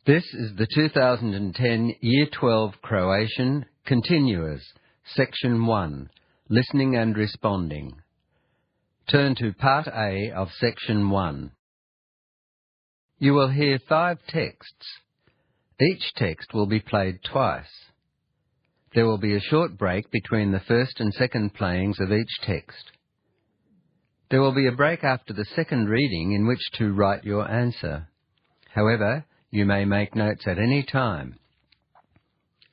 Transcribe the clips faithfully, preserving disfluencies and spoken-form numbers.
This is the two thousand ten Year twelve Croatian Continuous, Section one, Listening and Responding. Turn to Part A of Section one. You will hear five texts. Each text will be played twice. There will be a short break between the first and second playings of each text. There will be a break after the second reading in which to write your answer. However, you may make notes at any time.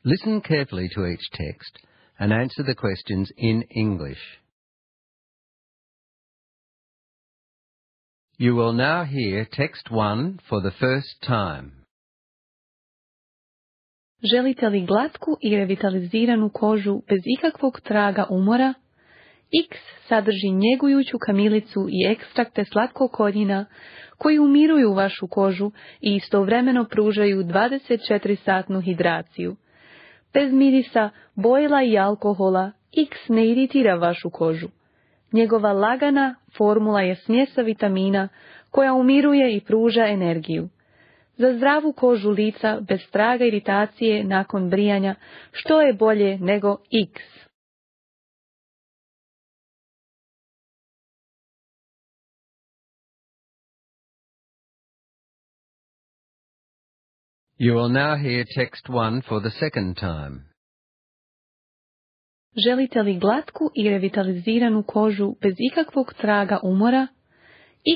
Listen carefully to each text and answer the questions in English. You will now hear text one for the first time. Želite li glatku i revitaliziranu kožu bez ikakvog traga umora? X sadrži njegujuću kamilicu i ekstrakte slatkog korijena koji umiruju vašu kožu i istovremeno pružaju dvadeset četiri satnu hidraciju. Bez mirisa, bojila i alkohola, X ne iritira vašu kožu. Njegova lagana formula je smjesa vitamina koja umiruje i pruža energiju. Za zdravu kožu lica bez traga iritacije nakon brijanja, što je bolje nego X? You will now hear text one for the second time. Želite li glatku i revitaliziranu kožu bez ikakvog traga umora?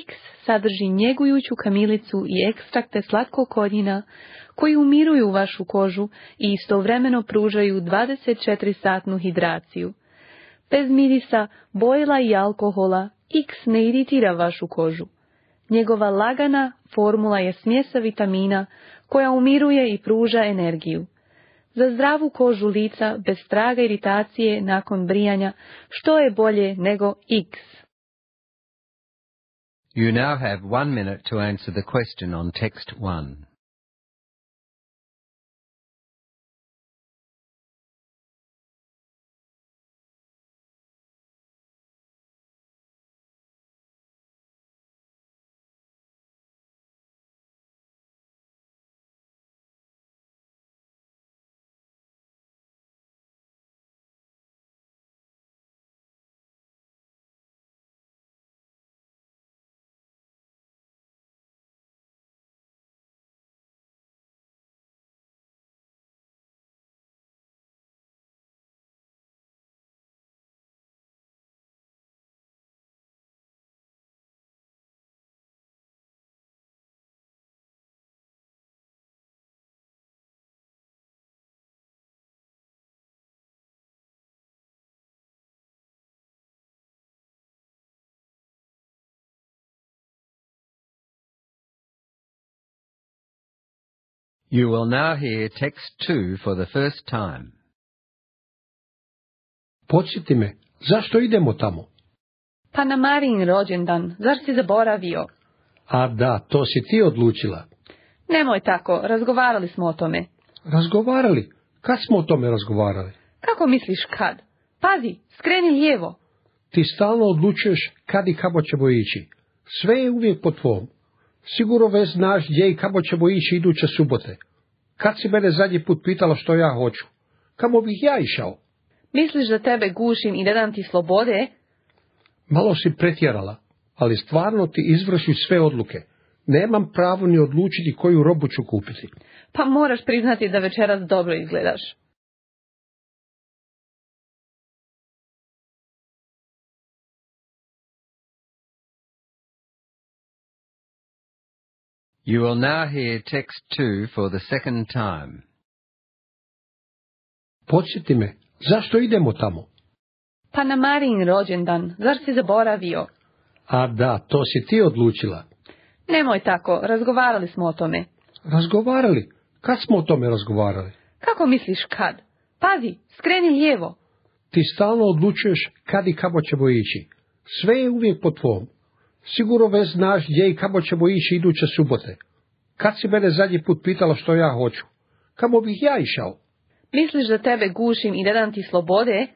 X sadrži njegujuću kamilicu i ekstrakte slatkog korijena koji umiruju vašu kožu i istovremeno pružaju dvadeset četiri satnu hidraciju. Bez mirisa, bojila i alkohola, X ne iritira vašu kožu. Njegova lagana formula je smjesa vitamina koja umiruje i pruža energiju. Za zdravu kožu lica bez traga iritacije nakon brijanja, što je bolje nego X? You now have one minute to answer the question on text one. You will now hear text two for the first time. Podsjeti me, zašto idemo tamo? Pa na Marijin rođendan, zar si zaboravio? A da, to si ti odlučila. Nemoj tako, razgovarali smo o tome. Razgovarali? Kad smo o tome razgovarali? Kako misliš kad? Pazi, skreni lijevo. Ti stalno odlučuješ kad i kako ćemo ići. Sve je uvijek po tvom. Sigurno već znaš gdje i kako ćemo ići iduće subote. Kad si mene zadnji put pitala što ja hoću? Kamo bih ja išao? Misliš da tebe gušim i da dam ti slobode? Malo si pretjerala, ali stvarno ti izvršiš sve odluke. Nemam pravo ni odlučiti koju robu ću kupiti. Pa moraš priznati da večeras dobro izgledaš. You will now hear text two for the second time. Podsjeti me, zašto idemo tamo? Pa na Marijin rođendan, zar si zaboravio? A da, to si ti odlučila. Nemoj tako, razgovarali smo o tome. Razgovarali? Kad smo o tome razgovarali? Kako misliš kad? Pazi, skreni lijevo. Ti stalno odlučuješ kad i kako ćemo ići. Sve je uvijek po tvom. Sigurno već znaš gdje i kako ćemo ići iduće subote. Kad si mene zadnji put pitala što ja hoću? Kamo bih ja išao? Misliš da tebe gušim i da dam ti slobode?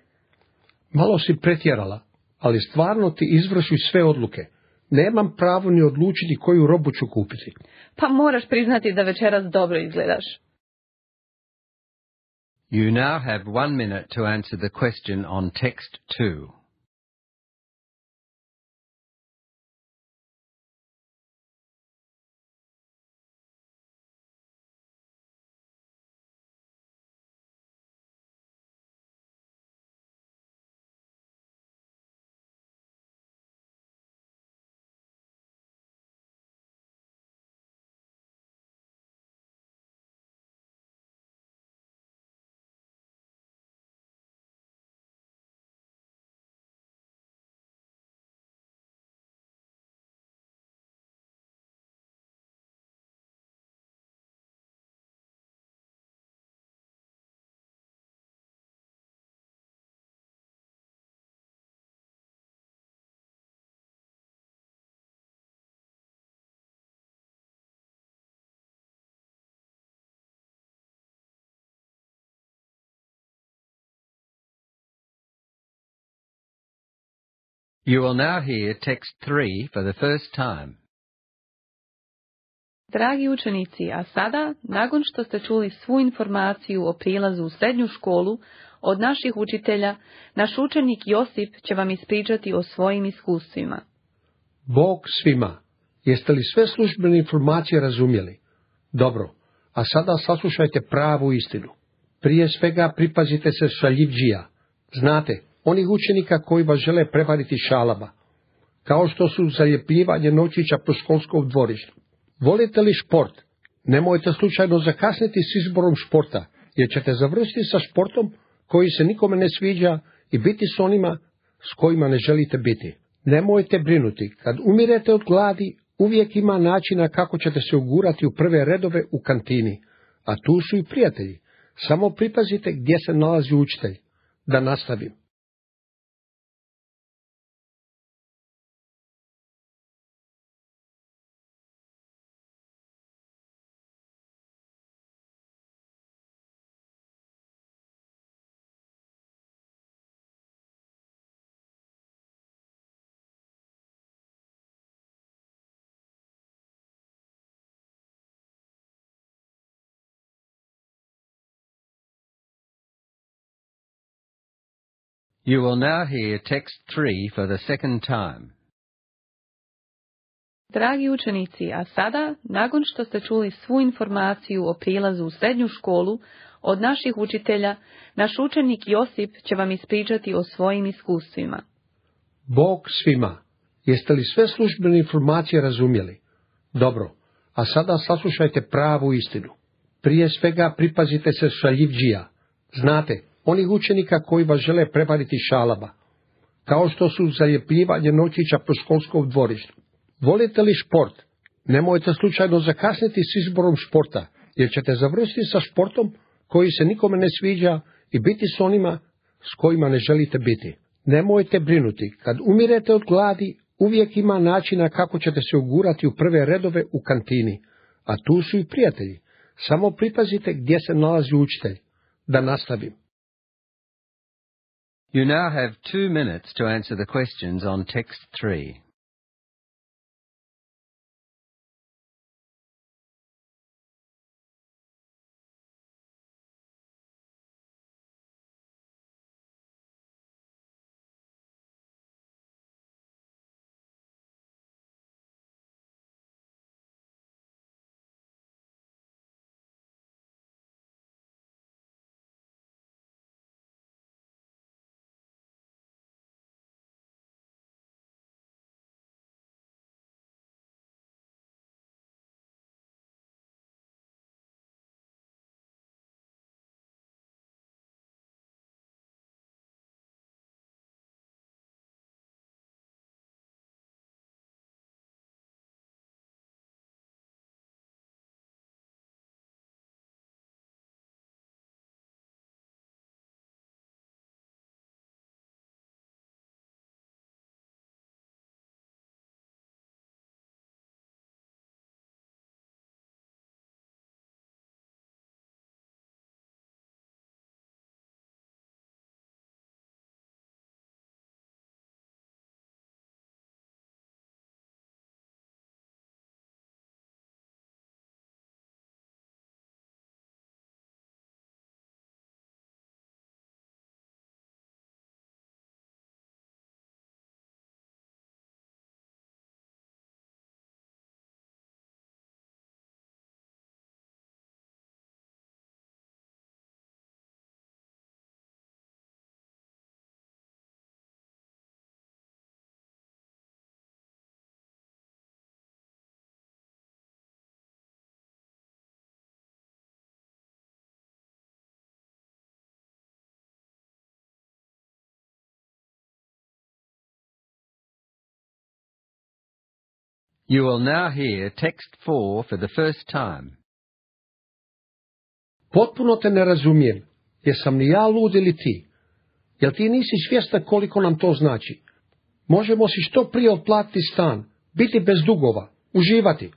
Malo si pretjerala, ali stvarno ti izvršiš sve odluke. Nemam pravo ni odlučiti koju robu ću kupiti. Pa moraš priznati da večeras dobro izgledaš. You now have one minute to answer the question on text two. You will now hear text three for the first time. Dragi učenici, a sada, nakon što ste čuli svu informaciju o prilazu u srednju školu od naših učitelja, naš učenik Josip će vam ispričati o svojim iskustvima. Bog svima. Jeste li sve službene informacije razumjeli? Dobro, a sada saslušajte pravu istinu. Prije svega pripazite se šaljivdžija. Znate, onih učenika koji vas žele prevariti šalama, kao što su zaljepljivanje novčića po školskom dvorištu. Volite li šport? Nemojte slučajno zakasniti s izborom športa, jer ćete završiti sa športom koji se nikome ne sviđa i biti s onima s kojima ne želite biti. Nemojte brinuti, kad umirete od gladi, uvijek ima načina kako ćete se ugurati u prve redove u kantini, a tu su i prijatelji. Samo pripazite gdje se nalazi učitelj. Da nastavim. You will now hear text three for the second time. Dragi učenici, a sada, nakon što ste čuli svu informaciju o prilazu u srednju školu od naših učitelja, naš učenik Josip će vam ispričati o svojim iskustvima. Bog svima. Jeste li sve službene informacije razumjeli? Dobro, a sada saslušajte pravu istinu. Prije svega pripazite se šaljivdžija. Znate, onih učenika koji vas žele prevariti šalama, kao što su zaljepljivanje novčića po školskom dvorištu. Volite li šport? Nemojte slučajno zakasniti s izborom športa, jer ćete završiti sa športom koji se nikome ne sviđa i biti s onima s kojima ne želite biti. Nemojte brinuti, kad umirete od gladi, uvijek ima načina kako ćete se ugurati u prve redove u kantini, a tu su i prijatelji. Samo pripazite gdje se nalazi učitelj. Da nastavim. You now have two minutes to answer the questions on text three. You will now hear text four for the first time. Potpuno te ne razumijem. Jesam li ja lud ili ti? Jel ti nisi svjestan koliko nam to znači? Možemo si što prije otplatiti stan, biti bez dugova, uživati.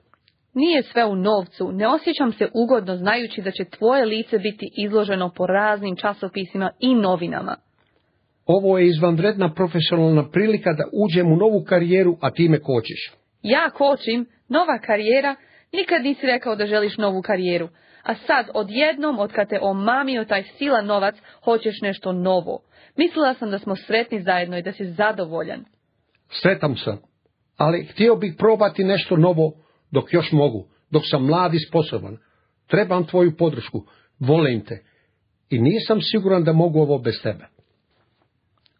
Nije sve u novcu, ne osjećam se ugodno znajući da će tvoje lice biti izloženo po raznim časopisima i novinama. Ovo je izvanredna profesionalna prilika da uđem u novu karijeru, a ti me kočiš. Ja kočim, nova karijera, nikad nisi rekao da želiš novu karijeru, a sad odjednom, otkad te omamio taj silan novac, hoćeš nešto novo. Mislila sam da smo sretni zajedno i da si zadovoljan. Sretan sam, ali htio bih probati nešto novo dok još mogu, dok sam mlad i sposoban. Trebam tvoju podršku, volim te i nisam siguran da mogu ovo bez tebe.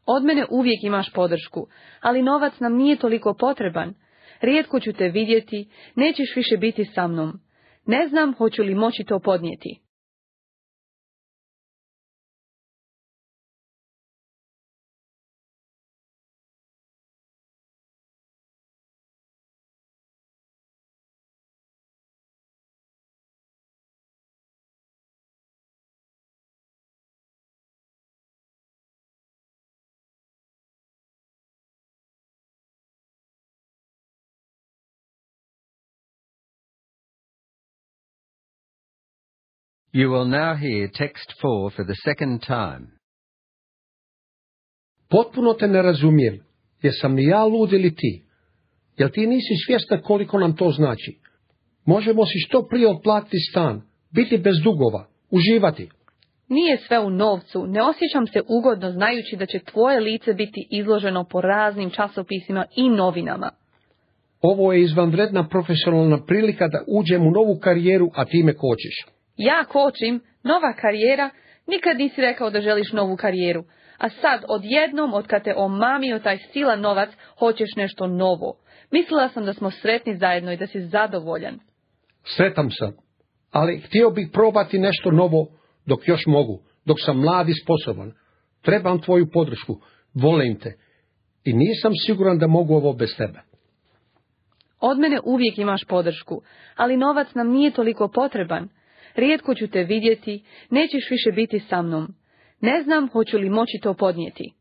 Od mene uvijek imaš podršku, ali novac nam nije toliko potreban. Rijetko ću te vidjeti, nećeš više biti sa mnom. Ne znam hoću li moći to podnijeti. You will now hear text four for the second time. Potpuno te ne razumijem. Jesam li ja lud ili ti? Jel ti nisi svjestan koliko nam to znači? Možemo si što prije otplatiti stan, biti bez dugova, uživati. Nije sve u novcu, ne osjećam se ugodno znajući da će tvoje lice biti izloženo po raznim časopisima i novinama. Ovo je izvanredna profesionalna prilika da uđem u novu karijeru, a ti me kočiš. Ja kočim, nova karijera, nikad nisi rekao da želiš novu karijeru, a sad odjednom, otkad te omamio taj silan novac, hoćeš nešto novo. Mislila sam da smo sretni zajedno i da si zadovoljan. Sretan sam, ali htio bih probati nešto novo dok još mogu, dok sam mlad i sposoban. Trebam tvoju podršku, volim te i nisam siguran da mogu ovo bez tebe. Od mene uvijek imaš podršku, ali novac nam nije toliko potreban. Rijetko ću te vidjeti, nećeš više biti sa mnom. Ne znam hoću li moći to podnijeti.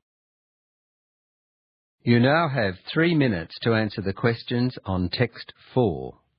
You now have three minutes to answer the questions on text four.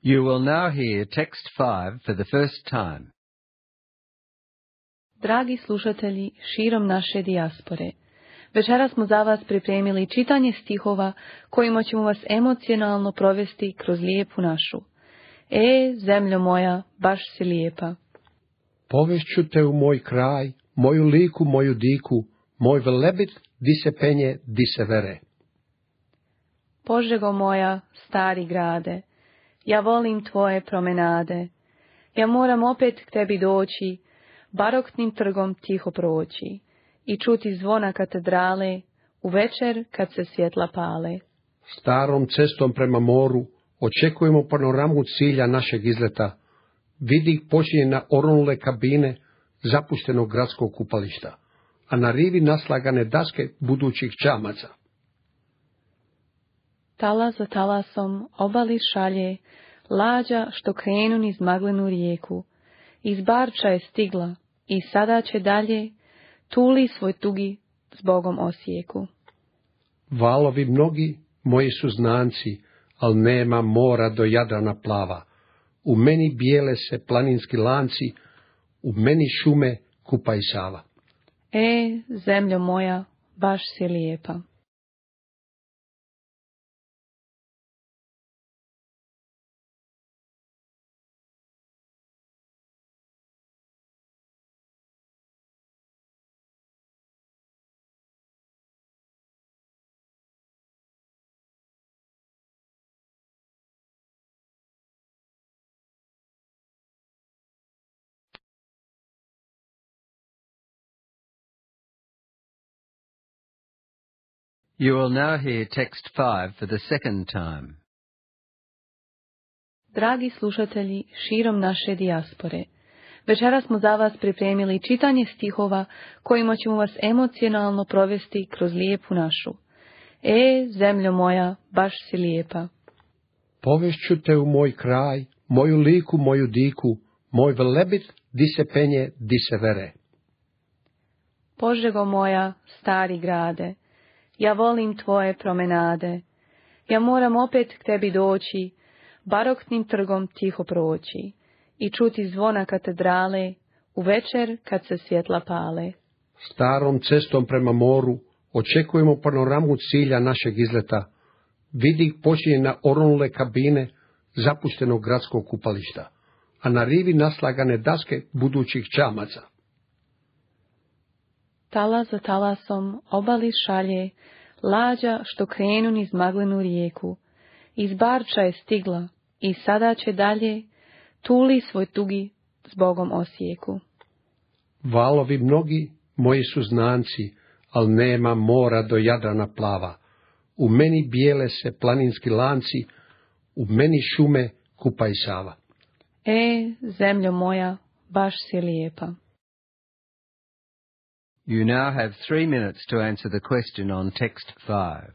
You will now hear text five for the first time. Dragi slušatelji širom naše dijaspore, večeras smo za vas pripremili čitanje stihova kojima ćemo vas emocionalno provesti kroz lijepu našu. E, zemljo moja, baš si lijepa. Povešću te u moj kraj, moju liku, moju diku, moj velebit, di se penje, di se vere. Požego moja, stari grade, ja volim tvoje promenade. Ja moram opet k tebi doći, baroknim trgom tiho proći i čuti zvona katedrale u večer kad se svjetla pale. Starom cestom prema moru očekujemo panoramu cilja našeg izleta. Vidi počinje na oronule kabine zapuštenog gradskog kupališta, a na rivi naslagane daske budućih čamaca. Talas za talasom obali šalje, lađa što krenu niz maglenu rijeku. Iz Barča je stigla i sada će dalje, tuli svoj tugi s Bogom Osijeku. Valovi mnogi, moji su znanci, al nema mora do Jadrana plava. U meni bijele se planinski lanci, u meni šume Kupa i Sava. E, zemljo moja, baš si lijepa. You will now hear text five for the second time. Dragi slušatelji širom naše dijaspore, večeras smo za vas pripremili čitanje stihova kojima ćemo vas emocionalno provesti kroz lijepu našu. E, zemljo moja, baš si lijepa. Povešću te u moj kraj, moju liku, moju diku, moj velebit, di se penje, di se vere. Požego moja, stari grade, ja volim tvoje promenade. Ja moram opet k tebi doći, baroknim trgom tiho proći i čuti zvona katedrale u večer kad se svjetla pale. Starom cestom prema moru očekujemo panoramu cilja našeg izleta. Vidi počinje na oronule kabine zapuštenog gradskog kupališta, a na rivi naslagane daske budućih čamaca. Talas za talasom obali šalje, lađa što krenu niz maglenu rijeku. Iz Barča je stigla i sada će dalje, tuli svoj tugi s Bogom Osijeku. Valovi mnogi, moji su znanci, al nema mora do Jadrana plava. U meni bijele se planinski lanci, u meni šume Kupa i Sava. E, zemljo moja, baš si lijepa. You now have three minutes to answer the question on text five.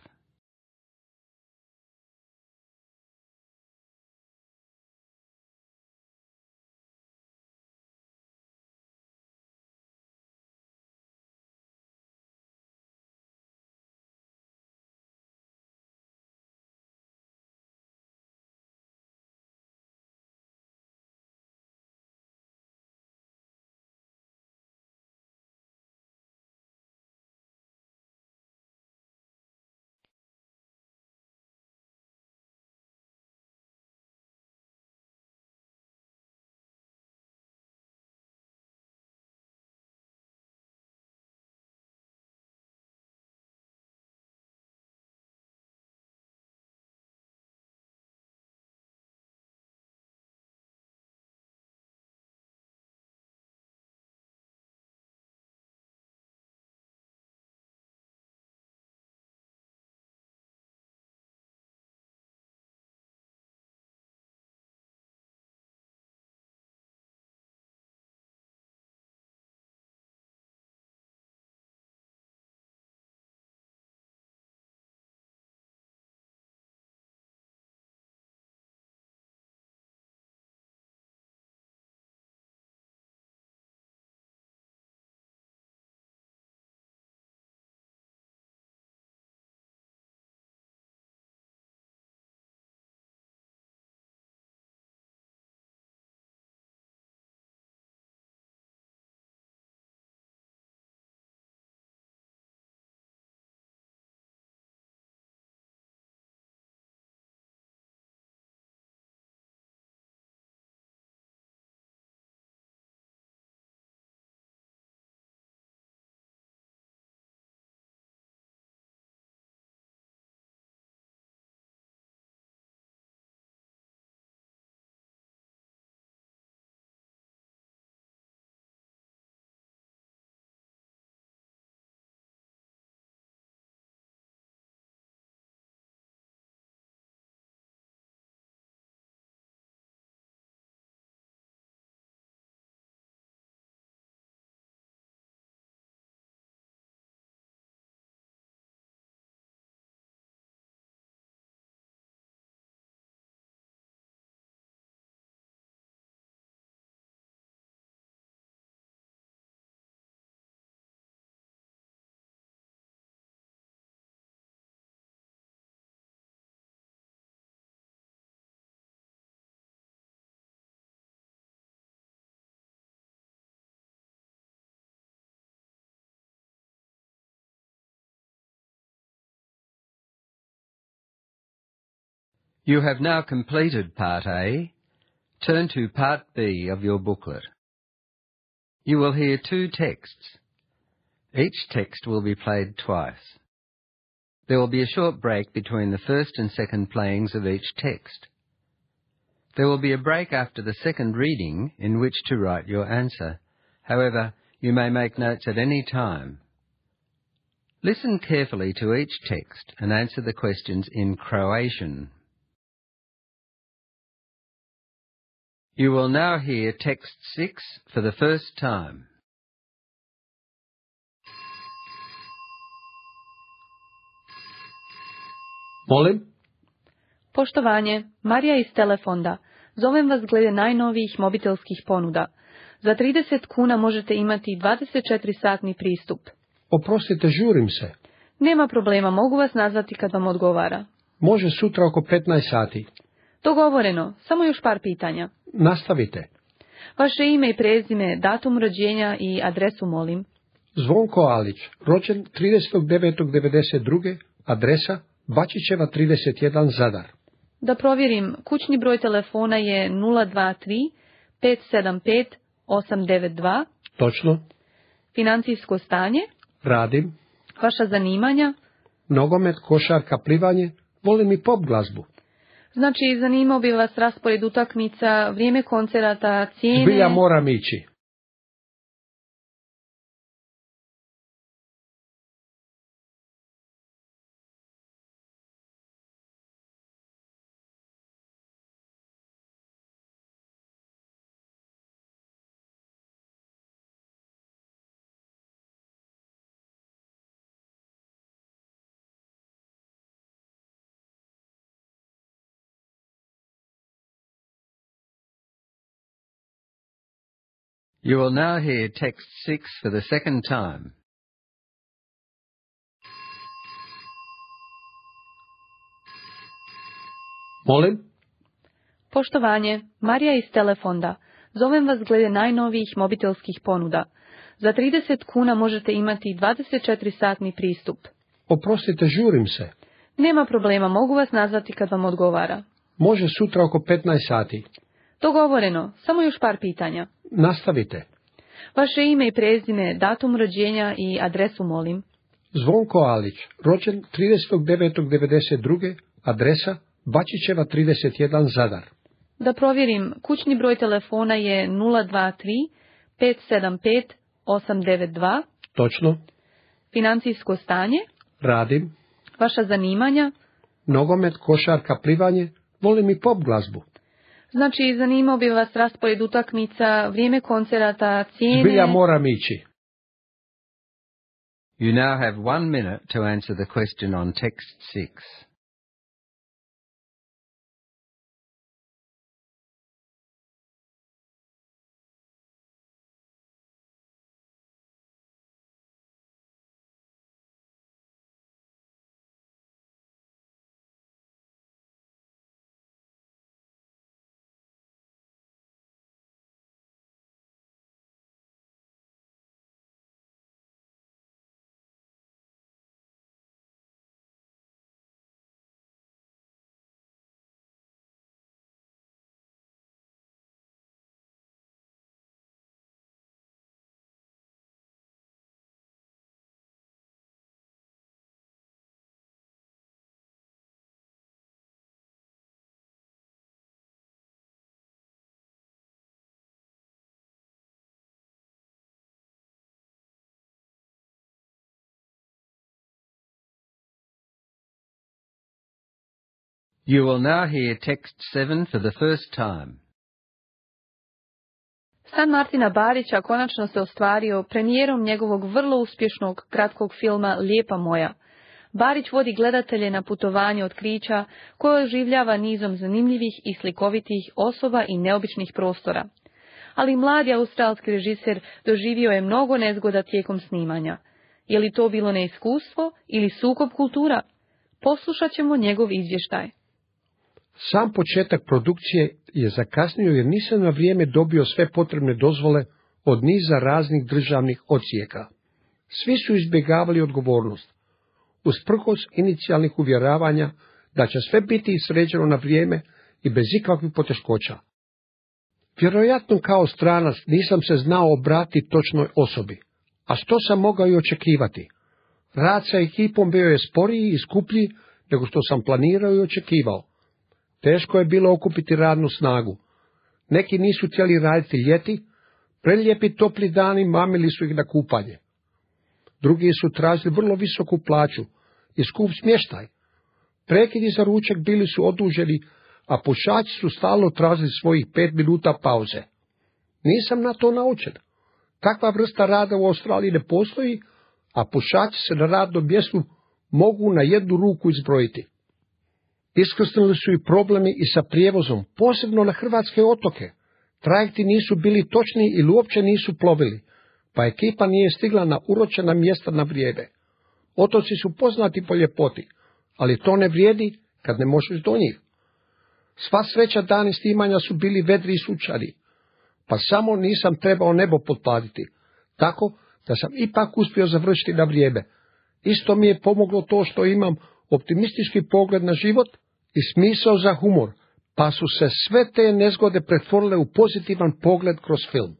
You have now completed Part A. Turn to Part B of your booklet. You will hear two texts. Each text will be played twice. There will be a short break between the first and second playings of each text. There will be a break after the second reading in which to write your answer. However, you may make notes at any time. Listen carefully to each text and answer the questions in Croatian. You will now hear text six for the first time. Molim? Poštovanje, Marija iz Telefonda. Zovem vas glede najnovijih mobitelskih ponuda. Za trideset kuna možete imati dvadeset četiri satni pristup. Oprostite, žurim se. Nema problema, mogu vas nazvati kad vam odgovara. Može sutra oko petnaest sati. Dogovoreno, samo još par pitanja. Nastavite. Vaše ime i prezime, datum rođenja i adresu molim. Zvonko Alić, rođen tridesetog devetog devedeset druge, adresa Bačićeva trideset jedan Zadar. Da provjerim, kućni broj telefona je nula dva tri pet sedam pet osam devet dva. Točno. Financijsko stanje. Radim. Vaša zanimanja. Nogomet, košarka, plivanje, volim i pop glazbu. Znači, zanimao bi vas raspored utakmica, vrijeme koncerata, cijene... Zbilja moram ići. You will now hear text six for the second time. Molim? Poštovanje, Marija iz Telefonda. Zovem vas glede najnovijih mobitelskih ponuda. Za trideset kuna možete imati dvadeset četiri satni pristup. Oprostite, žurim se. Nema problema, mogu vas nazvati kad vam odgovara. Može sutra oko petnaest sati. Dogovoreno, samo još par pitanja. Nastavite. Vaše ime i prezime, datum rođenja i adresu molim. Zvonko Alić, rođen tridesetog devetog devedeset druge, adresa Bačićeva trideset jedan Zadar. Da provjerim, kućni broj telefona je nula dva tri pet sedam pet osam devet dva. Točno. Financijsko stanje. Radim. Vaša zanimanja. Nogomet, košarka, plivanje, volim i pop glazbu. Znači, zanimao bi vas raspored utakmica, vrijeme koncerata, cijene... Zbilja moram ići. You now have one minute to answer the question on text six. You will now hear text seven for the first time. San Martina Barića konačno se ostvario premijerom njegovog vrlo uspješnog kratkog filma Lijepa moja. Barić vodi gledatelje na putovanje otkrića koje oživljava nizom zanimljivih i slikovitih osoba i neobičnih prostora. Ali mladi australski režiser doživio je mnogo nezgoda tijekom snimanja. Je li to bilo neiskustvo ili sukob kultura? Poslušat ćemo njegov izvještaj. Sam početak produkcije je zakasnio jer nisam na vrijeme dobio sve potrebne dozvole od niza raznih državnih odsjeka. Svi su izbjegavali odgovornost. Usprkos inicijalnih uvjeravanja da će sve biti sređeno na vrijeme i bez ikakvih poteškoća. Vjerojatno kao stranac nisam se znao obratiti točnoj osobi, a što sam mogao i očekivati. Rad sa ekipom bio je sporiji i skuplji nego što sam planirao i očekivao. Teško je bilo okupiti radnu snagu. Neki nisu htjeli raditi ljeti, prelijepi topli dani mamili su ih na kupanje. Drugi su tražili vrlo visoku plaću i skup smještaj. Prekidi za ručak bili su oduženi, a pušači su stalno tražili svojih pet minuta pauze. Nisam na to naučen. Takva vrsta rada u Australiji ne postoji, a pušači se na radnom mjestu mogu na jednu ruku izbrojiti. Iskrsnuli su i problemi i sa prijevozom, posebno na hrvatske otoke. Trajekti nisu bili točni ili uopće nisu plovili, pa ekipa nije stigla na uročena mjesta na vrijeme. Otoci su poznati po ljepoti, ali to ne vrijedi kad ne možeš do njih. Sva sreća dani snimanja su bili vedri i sunčani, pa samo nisam trebao nebo potplatiti, tako da sam ipak uspio završiti na vrijeme. Isto mi je pomoglo to što imam optimistički pogled na život i smisao za humor, pa su se sve te nezgode pretvorile u pozitivan pogled kroz film.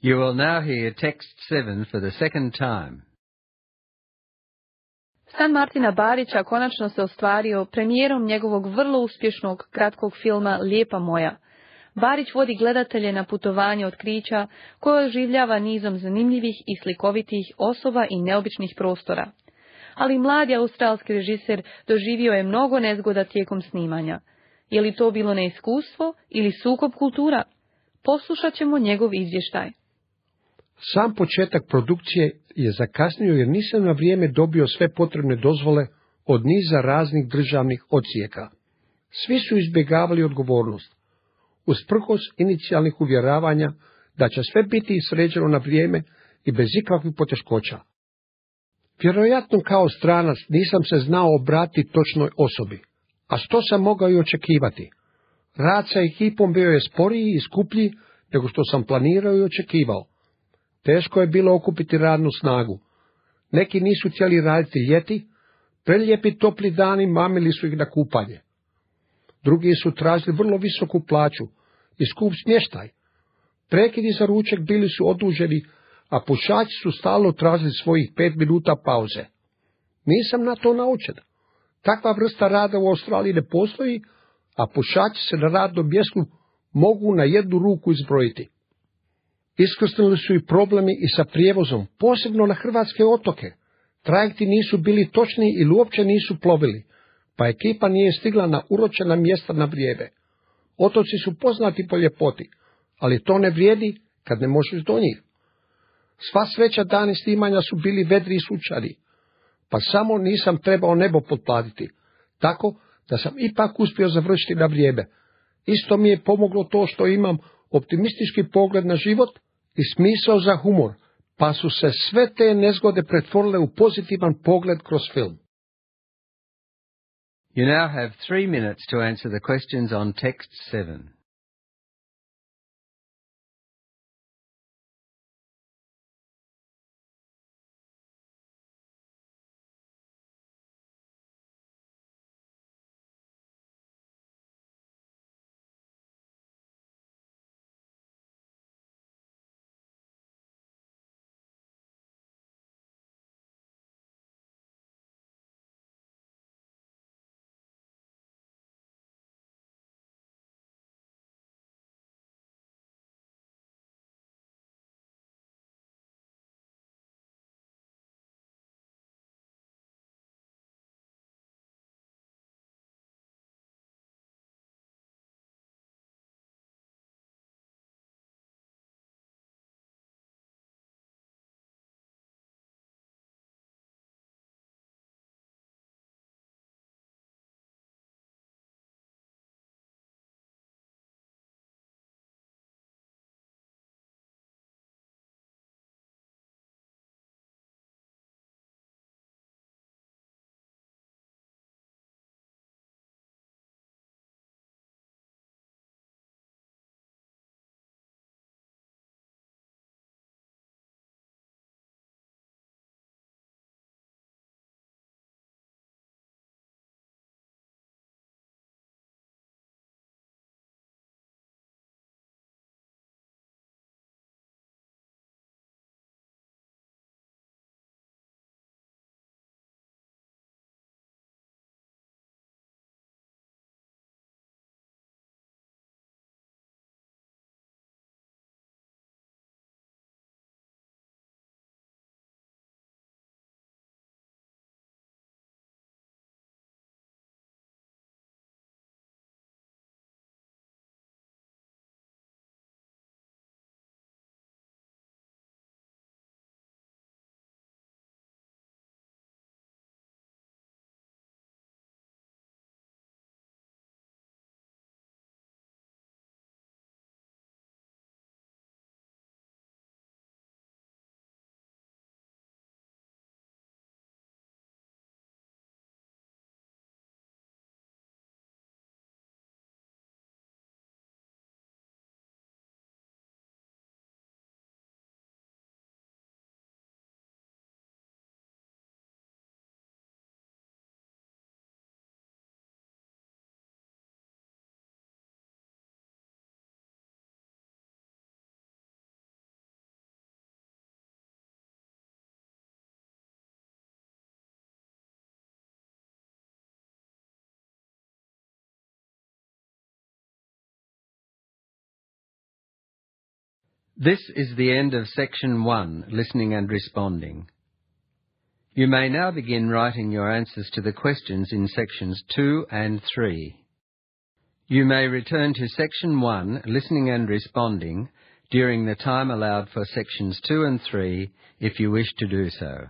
You will now hear text seven for the second time. San Martina Barića konačno se ostvario premijerom njegovog vrlo uspješnog kratkog filma Lijepa moja. Barić vodi gledatelje na putovanje otkrića koje oživljava nizom zanimljivih i slikovitih osoba i neobičnih prostora. Ali mladi australski režiser doživio je mnogo nezgoda tijekom snimanja. Je li to bilo neiskustvo ili sukob kultura? Poslušat ćemo njegov izvještaj. Sam početak produkcije je zakasnio jer nisam na vrijeme dobio sve potrebne dozvole od niza raznih državnih odsjeka. Svi su izbjegavali odgovornost. Usprkos inicijalnih uvjeravanja da će sve biti sređeno na vrijeme i bez ikakvih poteškoća. Vjerojatno kao stranac nisam se znao obratiti točnoj osobi, a što sam mogao i očekivati. Rad sa ekipom bio je sporiji i skuplji nego što sam planirao i očekivao. Teško je bilo okupiti radnu snagu. Neki nisu htjeli raditi ljeti, prelijepi topli dani mamili su ih na kupanje. Drugi su tražili vrlo visoku plaću i skup smještaj. Prekidi za ručak bili su oduženi, a pušači su stalno tražili svojih pet minuta pauze. Nisam na to naučen. Takva vrsta rada u Australiji ne postoji, a pušači se na radnom mjestu mogu na jednu ruku izbrojiti. Iskrsnuli su i problemi i sa prijevozom, posebno na hrvatske otoke. Trajekti nisu bili točni ili uopće nisu plovili, pa ekipa nije stigla na uročena mjesta na vrijeme. Otoci su poznati po ljepoti, ali to ne vrijedi kad ne možeš do njih. Sva sreća dani snimanja su bili vedri i sunčani, pa samo nisam trebao nebo potplatiti, tako da sam ipak uspio završiti na vrijeme. Isto mi je pomoglo to što imam optimistički pogled na život i smisao za humor, pa su se sve te nezgode pretvorile u pozitivan pogled kroz film. You now have three minutes to answer the questions on text seven. This is the end of section one, listening and responding. You may now begin writing your answers to the questions in sections two and three. You may return to section one, listening and responding, during the time allowed for sections two and three if you wish to do so.